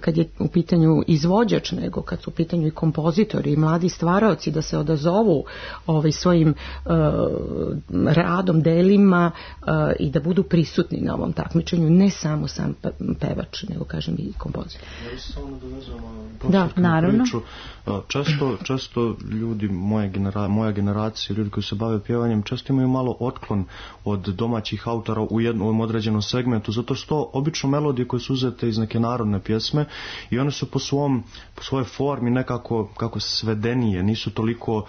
kad je u pitanju izvođač, nego kad su u pitanju i kompozitori i mladi stvaraoci da se odazovu svojim radom, delima i da budu prisutni na ovom takmičenju, ne samo sam pevač, nego kažem i kompozitor. Ja se samo nadovezam da, naravno. Često ljudi, moja generacija, ljudi koji se bave pjevanjem, pevanjem često imaju malo otklon od domaćih autora u jednom određenom segmentu, zato što obično melodije koje su uzete iz neke narodne pjesme i one su po svojoj formi nekako kako svedenije, nisu toliko,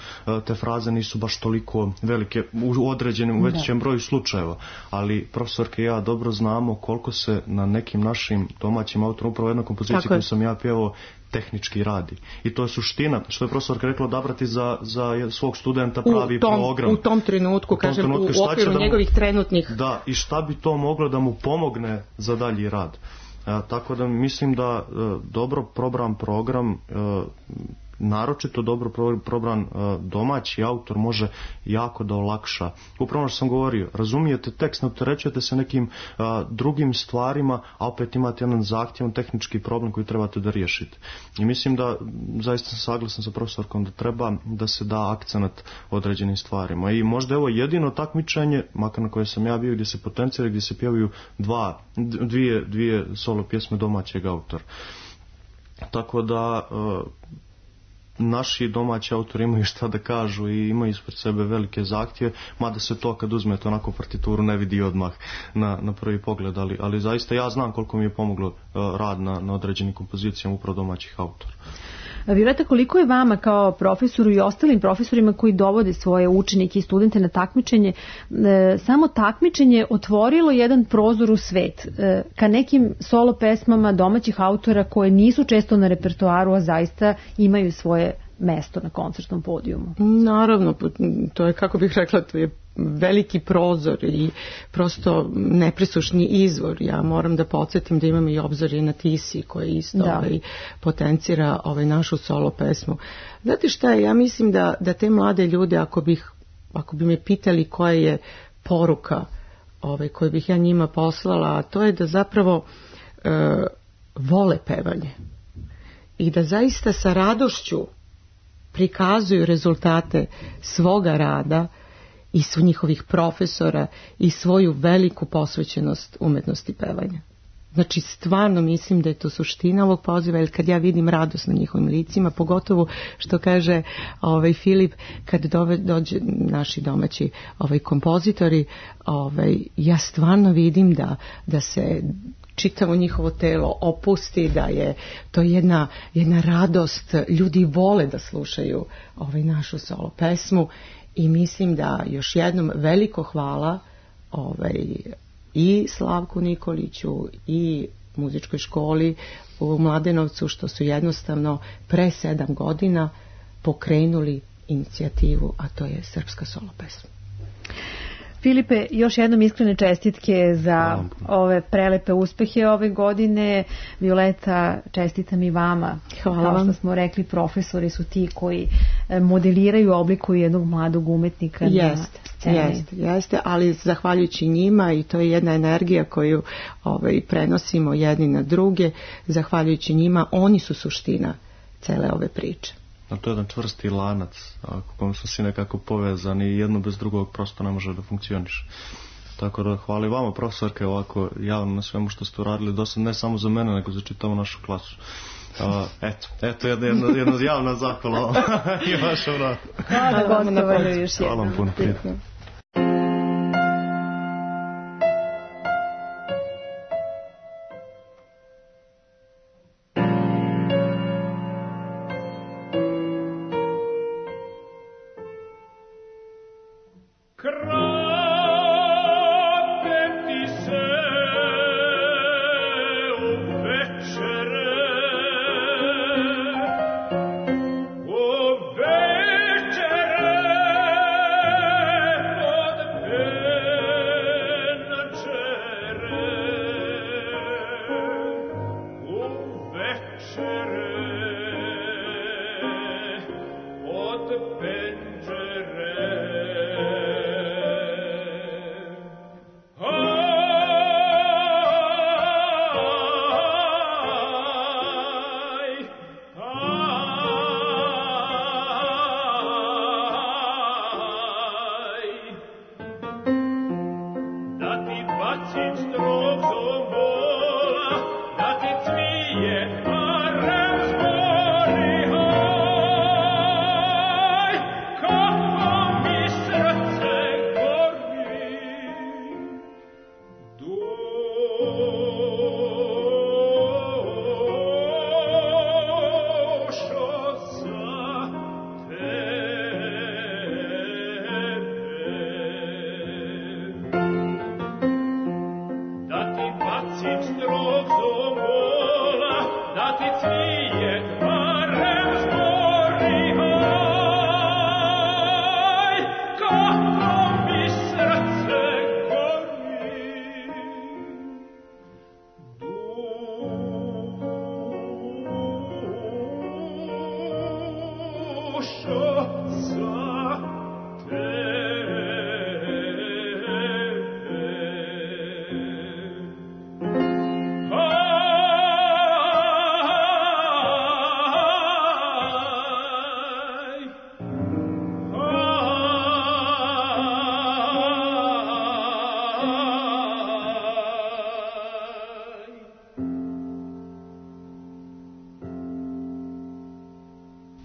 te fraze nisu baš toliko velike u određenom većem broju slučajeva, ali profesorke i ja dobro znamo koliko se na nekim našim domaćim autorima, upravo jedna kompozicija koju sam ja pjevao, tehnički radi. I to je suština, što je profesorka rekla, odabrati za svog studenta pravi program. U tom trenutku, kažem, u okviru njegovih trenutnih... Da, i šta bi to moglo da mu pomogne za dalji rad. Tako da mislim da dobro probran program, naročito dobro probran domaći autor može jako da olakša. Upravo što sam govorio, razumijete tekst, ne opterećujete se nekim drugim stvarima, a opet imate jedan zahtjevan tehnički problem koji trebate da riješite. I mislim da, zaista sam saglasan sa profesorkom, da treba da se da akcenat određenim stvarima. I možda evo jedino takmičenje, makar na koje sam ja bio, gdje se potencira, gdje se pjevaju dvije solo pjesme domaćeg autora. Tako da naši domaći autori imaju šta da kažu i imaju ispred sebe velike zahtjeve, mada se to kad uzmete onako partituru ne vidi odmah na prvi pogled, ali zaista ja znam koliko mi je pomoglo rad na određenim kompozicijama upravo domaćih autora. Violeta, koliko je vama kao profesoru i ostalim profesorima koji dovode svoje učenike i studente na takmičenje, samo takmičenje otvorilo jedan prozor u svet ka nekim solo pesmama domaćih autora koje nisu često na repertoaru, a zaista imaju svoje mesto na koncertnom podijumu? Naravno, to je, kako bih rekla, to je veliki prozor i prosto nepresušni izvor. Ja moram da podsjetim da imamo i Obzorje na Tisi koje isto potencira našu solo pesmu. Znate šta je, ja mislim da te mlade ljude, ako bi me pitali koja je poruka koju bih ja njima poslala, a to je da zapravo vole pevanje i da zaista sa radošću prikazuju rezultate svoga rada i su njihovih profesora i svoju veliku posvećenost umetnosti pevanja. Znači, stvarno mislim da je to suština ovog poziva, jer kad ja vidim radost na njihovim licima, pogotovo što kaže Filip, kad dođe naši domaći kompozitori, ja stvarno vidim da se čitavo njihovo telo opusti, da je to jedna radost, ljudi vole da slušaju našu solo pesmu. I mislim da još jednom veliko hvala i Slavku Nikoliću i muzičkoj školi u Mladenovcu što su jednostavno pre 7 godina pokrenuli inicijativu, a to je srpska solo pesma. Filipe, još jednom iskrene čestitke za ove prelepe uspehe ove godine. Violeta, čestitam i vama. Hvala vam. Kao što smo rekli, profesori su ti koji modeliraju, oblikuju jednog mladog umetnika na sceni. Jeste, ali zahvaljujući njima, i to je jedna energija koju prenosimo jedni na druge, zahvaljujući njima, oni su suština cele ove priče. A to je jedan čvrsti lanac, kojom su svi nekako povezani i jedno bez drugog prosto ne može da funkcioniše. Tako da hvala i vama, profesorke, ovako javno na svemu što ste uradili do sad, ne samo za mene, nego za čitavu našu klasu. Eto jedna javna zahvala i vaša vrata. Hvala vam još jednom. Hvala vam puno.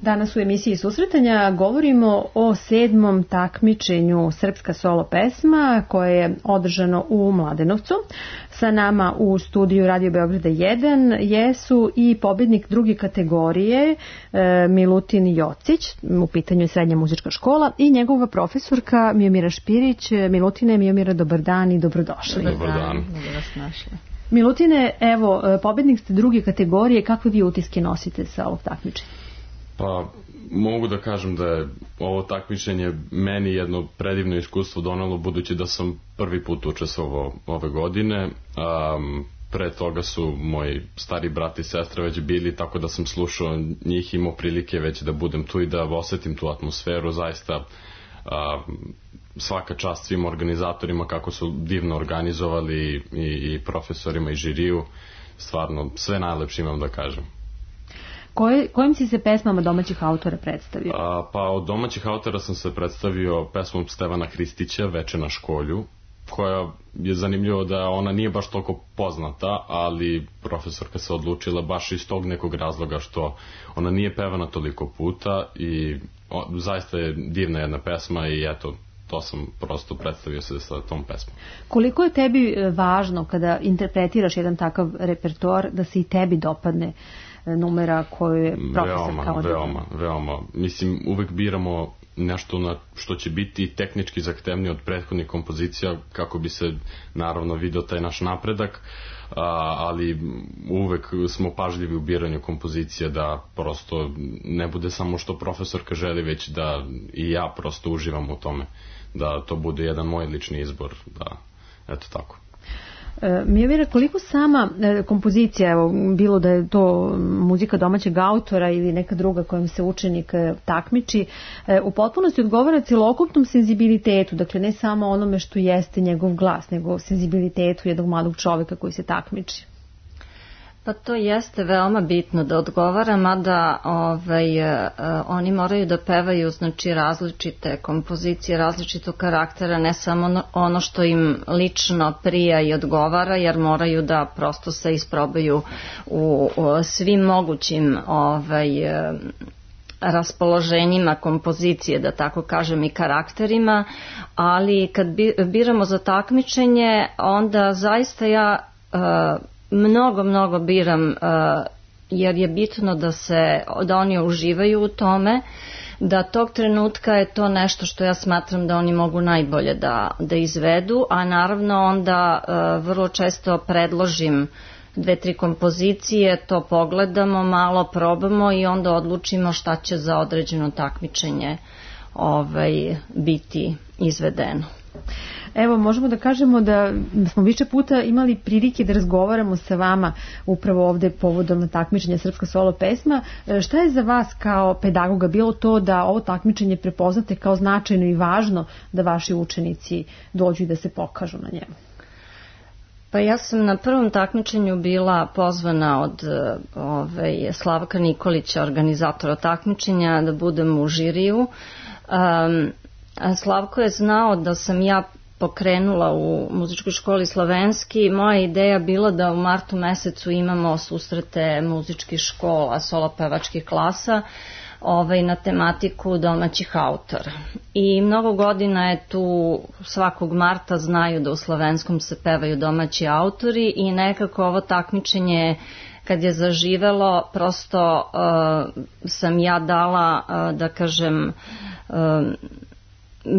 Danas u emisiji Susretanja govorimo o 7. takmičenju Srpska solo pesma koje je održano u Mladenovcu. Sa nama u studiju Radio Beograda 1 jesu i pobednik druge kategorije Milutin Jocić, u pitanju je srednja muzička škola, i njegova profesorka Miomira Špirić. Milutine, Miomira, dobar dan i dobrodošli. Dobar dan. Milutine, evo, pobednik ste druge kategorije, kakve vi utiske nosite sa ovog takmičenja? Pa mogu da kažem da je ovo takmičenje meni jedno predivno iskustvo donelo, budući da sam prvi put učestvovao ove godine. Pre toga su moji stari brat i sestra već bili, tako da sam slušao njih, imao prilike već da budem tu i da osetim tu atmosferu. Zaista svaka čast svim organizatorima kako su divno organizovali, i profesorima i žiriju. Stvarno sve najlepše imam da kažem. Kojim si se pesmama domaćih autora predstavio? Pa od domaćih autora sam se predstavio pesmom Stevana Hristića, Veče na školju, koja je zanimljivo da ona nije baš toliko poznata, ali profesorka se odlučila baš iz tog nekog razloga što ona nije pevana toliko puta i zaista je divna jedna pesma i eto, to sam prosto predstavio se sa tom pesmom. Koliko je tebi važno kada interpretiraš jedan takav repertoar da se i tebi dopadne numera koju je profesor kao Veoma. Mislim, uvek biramo nešto na što će biti tehnički zahtevnije od prethodnih kompozicija kako bi se naravno vidio taj naš napredak, ali uvek smo pažljivi u biranju kompozicija da prosto ne bude samo što profesorka želi, već da i ja prosto uživam u tome, da to bude jedan moj lični izbor, da eto tako. Miomira, koliko sama kompozicija, evo, bilo da je to muzika domaćeg autora ili neka druga kojom se učenik takmiči, u potpunosti odgovara celokupnom senzibilitetu, dakle ne samo onome što jeste njegov glas, nego senzibilitetu jednog mladog čoveka koji se takmiči? Pa to jeste veoma bitno da odgovara, mada oni moraju da pevaju, znači, različite kompozicije, različitog karaktera, ne samo ono što im lično prija i odgovara, jer moraju da prosto se isprobaju u svim mogućim raspoloženjima kompozicije, da tako kažem, i karakterima, ali kad biramo za takmičenje, onda zaista ja mnogo biram, jer je bitno da oni uživaju u tome, da tog trenutka je to nešto što ja smatram da oni mogu najbolje da izvedu, a naravno onda vrlo često predložim 2-3 kompozicije, to pogledamo, malo probamo i onda odlučimo šta će za određeno takmičenje biti izvedeno. Evo, možemo da kažemo da smo više puta imali prilike da razgovaramo sa vama upravo ovde povodom takmičenja Srpska solo pesma. Šta je za vas kao pedagoga bilo to da ovo takmičenje prepoznate kao značajno i važno da vaši učenici dođu i da se pokažu na njemu? Pa ja sam na prvom takmičenju bila pozvana od Slavka Nikolića, organizatora takmičenja, da budem u žiriju. Slavko je znao da sam ja pokrenula u muzičkoj školi Slovenski. Moja ideja bila da u martu mesecu imamo susrete muzičkih škola, solopevačkih klasa na tematiku domaćih autora. I mnogo godina je tu, svakog marta znaju da u Slovenskom se pevaju domaći autori i nekako ovo takmičenje kad je zaživelo, prosto sam ja dala, da kažem,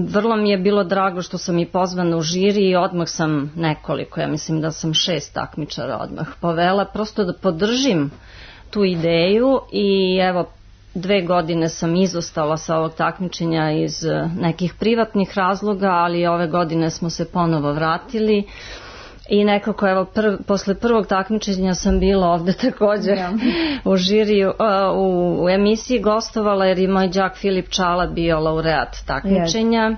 vrlo mi je bilo drago što sam i pozvana u žiri i odmah sam nekoliko, ja mislim da sam 6 takmičara odmah povela, prosto da podržim tu ideju i evo 2 godine sam izostala sa ovog takmičenja iz nekih privatnih razloga, ali ove godine smo se ponovo vratili. I nekako, evo, posle prvog takmičenja sam bila ovde također u žiriju, u emisiji gostovala jer je moj đak Filip Čala bio laureat takmičenja.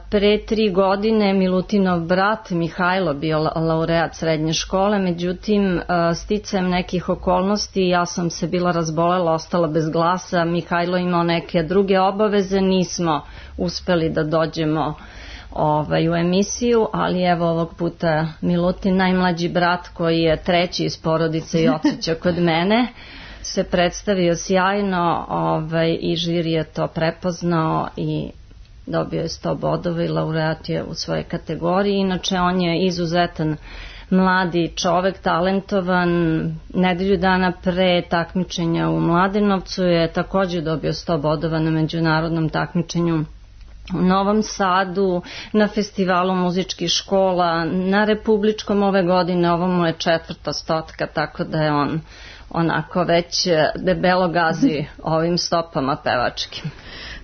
Pre 3 godine Milutinov brat Mihajlo bio laureat srednje škole, međutim sticajem nekih okolnosti ja sam se bila razbolela, ostala bez glasa, Mihajlo imao neke druge obaveze, nismo uspeli da dođemo u emisiju, ali evo ovog puta Milutin, najmlađi brat koji je 3. iz porodice i odsjeća kod mene, se predstavio sjajno i žiri je to prepoznao i dobio je 100 bodova i laureat je u svojoj kategoriji. Inače on je izuzetan mladi čovek, talentovan. Nedelju dana pre takmičenja u Mladenovcu je također dobio 100 bodova na međunarodnom takmičenju u Novom Sadu, na festivalu muzičkih škola, na republičkom ove godine, ovo mu je 4. stotka, tako da je on onako već debelo gazi ovim stopama pevačkim.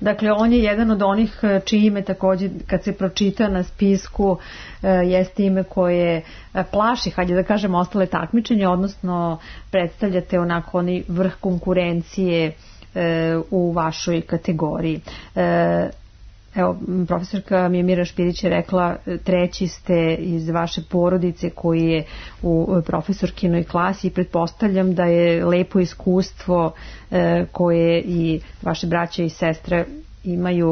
Dakle, on je jedan od onih čije ime također kad se pročita na spisku jeste ime koje plaši, hajde da kažem, ostale takmičenje, odnosno predstavljate onako onaj vrh konkurencije u vašoj kategoriji. Evo, profesorka Mijomira Špirić je rekla 3. ste iz vaše porodice koji je u profesorkinoj klasi i pretpostavljam da je lepo iskustvo koje i vaše braće i sestre imaju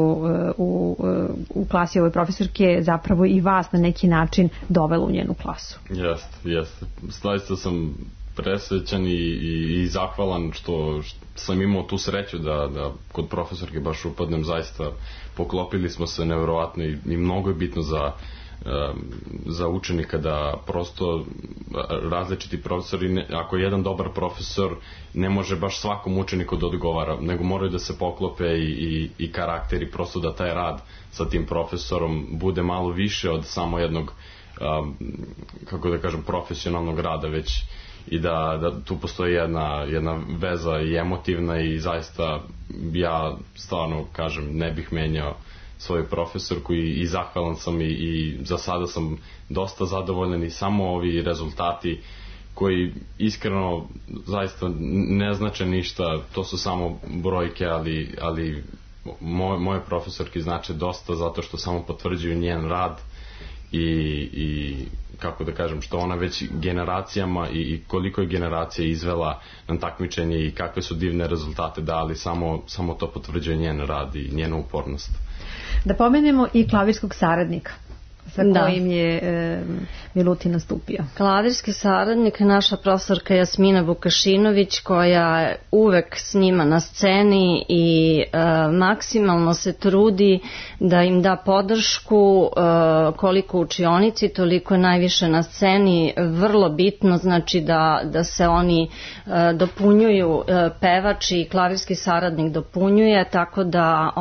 u klasi ove profesorke zapravo i vas na neki način dovelo u njenu klasu. Jeste. Zaista sam presrećan i zahvalan što sam imao tu sreću da kod profesorke baš upadnem. Zaista poklopili smo se nevjerovatno i mnogo je bitno za učenika da prosto različiti profesori, ako je jedan dobar profesor, ne može baš svakom učeniku da odgovara, nego moraju da se poklope i karakteri, prosto da taj rad sa tim profesorom bude malo više od samo jednog, kako da kažem, profesionalnog rada, već i da tu postoji jedna veza i emotivna i zaista ja stvarno kažem ne bih menjao svoju profesorku i zahvalan sam i za sada sam dosta zadovoljan i samo ovi rezultati koji iskreno zaista ne znače ništa, to su samo brojke, ali moje profesorke znače dosta zato što samo potvrđuju njen rad i kako da kažem, što ona već generacijama i koliko je generacija izvela na takmičenje i kakve su divne rezultate dali, samo to potvrđuje njen rad i njenu upornost. Da pomenemo i klavirskog saradnika sa kojim je Milutin nastupio. Klavirski saradnik je naša profesorka Jasmina Vukašinović koja je uvek s njima na sceni i maksimalno se trudi da im da podršku, koliko u učionici, toliko najviše na sceni. Vrlo bitno znači da se oni dopunjuju, pevač i klavirski saradnik dopunjuje, tako da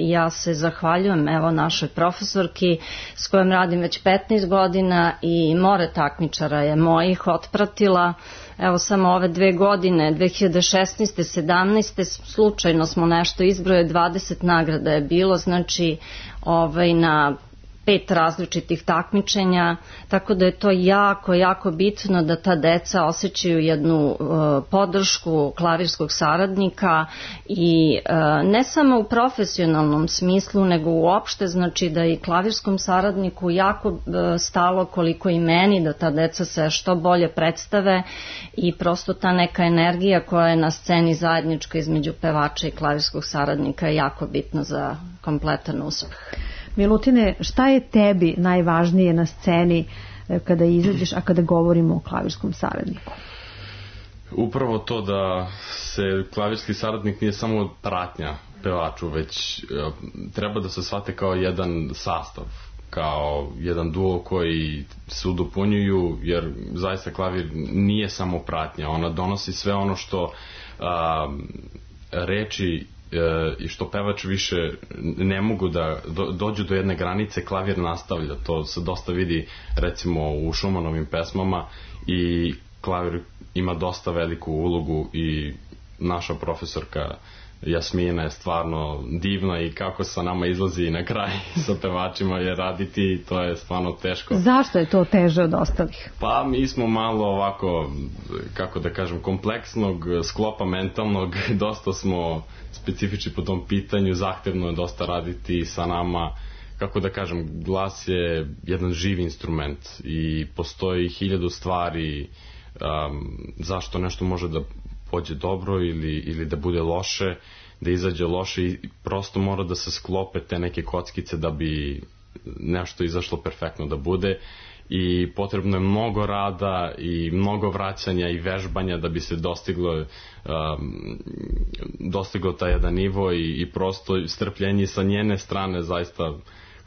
ja se zahvaljujem evo našoj profesorki s kojom radim već 15 godina i more takmičara je mojih otpratila. Evo samo ove 2 godine, 2016. 17. slučajno smo nešto izbroje, 20 nagrada je bilo, znači na 5 različitih takmičenja, tako da je to jako, jako bitno da ta deca osjećaju jednu podršku klavirskog saradnika i ne samo u profesionalnom smislu, nego uopšte, znači da i klavirskom saradniku jako stalo koliko i meni da ta deca se što bolje predstave i prosto ta neka energija koja je na sceni zajednička između pevača i klavirskog saradnika je jako bitna za kompletan uspeh. Milutine, šta je tebi najvažnije na sceni kada izađeš, a kada govorimo o klavirskom saradniku? Upravo to da se klavirski saradnik nije samo pratnja pevaču, već treba da se shvate kao jedan sastav, kao jedan duo koji se udopunjuju, jer zaista klavir nije samo pratnja, ona donosi sve ono što reči i što pevač više ne mogu da dođu do jedne granice, klavir nastavlja. To se dosta vidi recimo u Schumannovim pesmama i klavir ima dosta veliku ulogu i naša profesorka Jasmina je stvarno divna i kako sa nama izlazi na kraj sa pevačima je raditi, to je stvarno teško. Zašto je to teže od ostalih? Pa mi smo malo ovako, kako da kažem, kompleksnog sklopa mentalnog, dosta smo specifični po tom pitanju, zahtevno je dosta raditi sa nama, kako da kažem, glas je jedan živ instrument i postoji 1000 stvari zašto nešto može da pođe dobro ili da bude loše, da izađe loše i prosto mora da se sklope te neke kockice da bi nešto izašlo perfektno da bude i potrebno je mnogo rada i mnogo vraćanja i vežbanja da bi se dostiglo taj jedan nivo i prosto strpljenje sa njene strane, zaista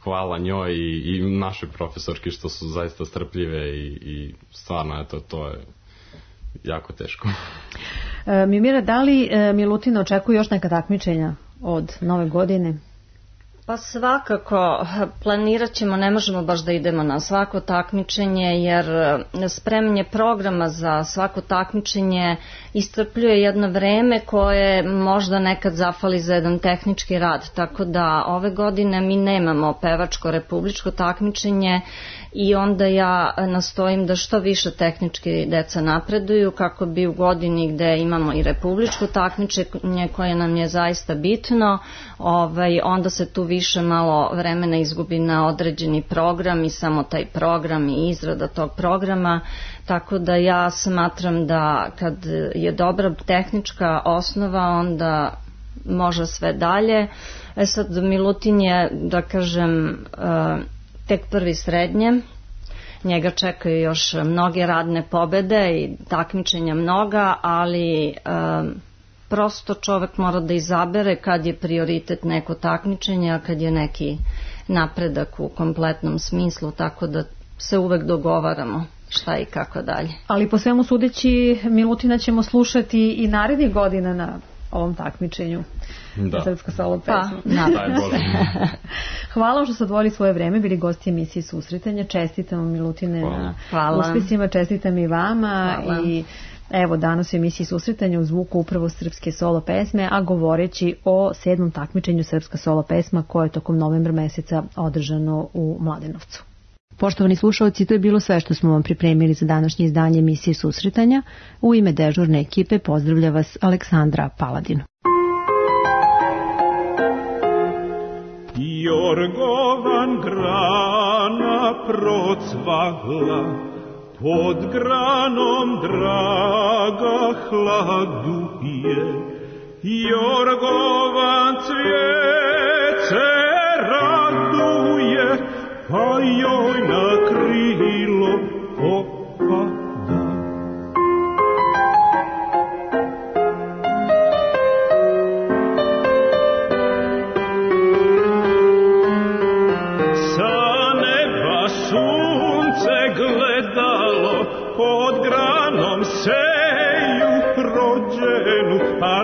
hvala njoj i našoj profesorki što su zaista strpljive i stvarno to je jako teško. Mimira, da li Milutina očekuje još neka takmičenja od nove godine? Pa svakako, planirat ćemo, ne možemo baš da idemo na svako takmičenje jer spremanje programa za svako takmičenje iscrpljuje jedno vreme koje možda nekad zafali za jedan tehnički rad, tako da ove godine mi nemamo pevačko republičko takmičenje i onda ja nastojim da što više tehnički deca napreduju kako bi u godini gde imamo i republičko takmičenje koje nam je zaista bitno, onda se tu više malo vremena izgubi na određeni program i samo taj program i izrada tog programa, tako da ja smatram da kad je dobra tehnička osnova onda može sve dalje. Sad Milutin je, da kažem, tek prvi srednje, njega čekaju još mnoge radne pobede i takmičenja mnoga, ali prosto čovek mora da izabere kad je prioritet neko takmičenje, a kad je neki napredak u kompletnom smislu, tako da se uvek dogovaramo šta i kako dalje. Ali po svemu sudeći Milutina ćemo slušati i narednih godina na ovom takmičenju. Da. Srpska solo pesma. Hvala vam što ste odvojili svoje vreme, bili gosti emisije Susretanja. Čestitamo Milutine na uspesima, čestitam i vama. I evo danas u emisiji Susretanja u zvuku upravo srpske solo pesme, a govoreći o 7. takmičenju Srpska solo pesma koje je tokom novembra meseca održano u Mladenovcu. Poštovani slušalci, to je bilo sve što smo vam pripremili za današnje izdanje emisije Susretanja. U ime dežurne ekipe pozdravlja vas Aleksandra Paladin. Jorgovan grana procvahla, pod granom draga hladuje. Jorgovan cvijet raduje, pa joj na krilo opada. Sa neba sunce gledalo, pod granom seju rođenu, a